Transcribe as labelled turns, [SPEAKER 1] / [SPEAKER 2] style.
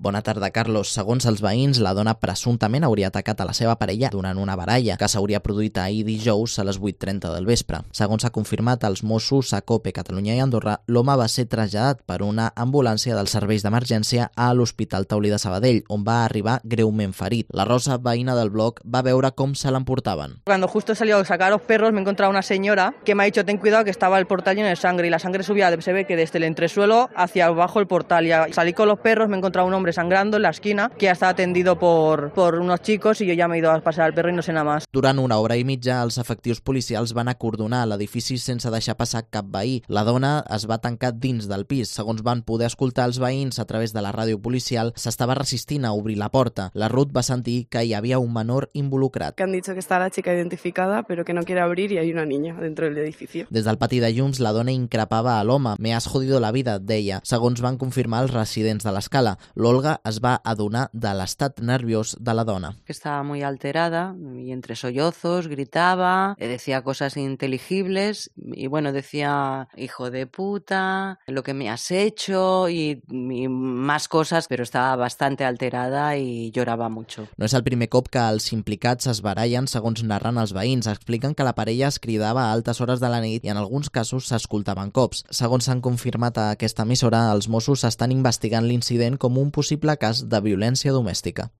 [SPEAKER 1] Bona tarda, Carlos. Segons els veïns, la dona presumptament hauria atacat a la seva parella durant una baralla que s'hauria produït ahir dijous a les 8:30 del vespre. Segons s'ha confirmat als Mossos a COPE, Catalunya i Andorra, l'home va ser traslladat per una ambulància dels serveis d'emergència a l'Hospital Taulí de Sabadell, on va arribar greument ferit. La Rosa, veïna del bloc, va veure com se l'emportaven.
[SPEAKER 2] Cuando justo he salido a sacar a los perros, me he encontrado una señora que me ha dicho ten cuidado que estaba el portal lleno de sangre y la sangre subía, se ve que desde el entresuelo hacia abajo el portal, y salí con los perros, me he encontrado un hombre sangrando en la esquina que ya estaba atendido por unos chicos y yo ya me he ido a pasar al perro y no sé nada más.
[SPEAKER 1] Durant una hora i mitja, els efectius policials van acordonar l'edifici sense deixar passar cap veí. La dona es va tancar dins del pis. Segons van poder escoltar els veïns a través de la ràdio policial, s'estava resistint a obrir la porta. La Ruth va sentir que hi havia un menor involucrat.
[SPEAKER 3] Que han dicho que está la chica identificada, pero que no quiere abrir y hay una niña dentro del edificio.
[SPEAKER 1] Des del pati de llums, la dona increpava a l'home. Me has jodido la vida, deia, segons van confirmar els residents de l'escala. L'Olga es va adonar de l'estat nerviós de la dona.
[SPEAKER 4] Que estaba muy alterada y entre sollozos gritaba, decía cosas ininteligibles y bueno, decía hijo de puta, lo que me has hecho y más cosas, pero estaba bastante alterada y lloraba mucho.
[SPEAKER 1] No és el primer cop que els implicats es barallen, segons narren els veïns. Expliquen que la parella es cridava a altes hores de la nit i en alguns casos s'escoltaven cops. Segons s'han confirmat a aquesta emissora, els Mossos estan investigant l'incident com un possible cas de violència domèstica.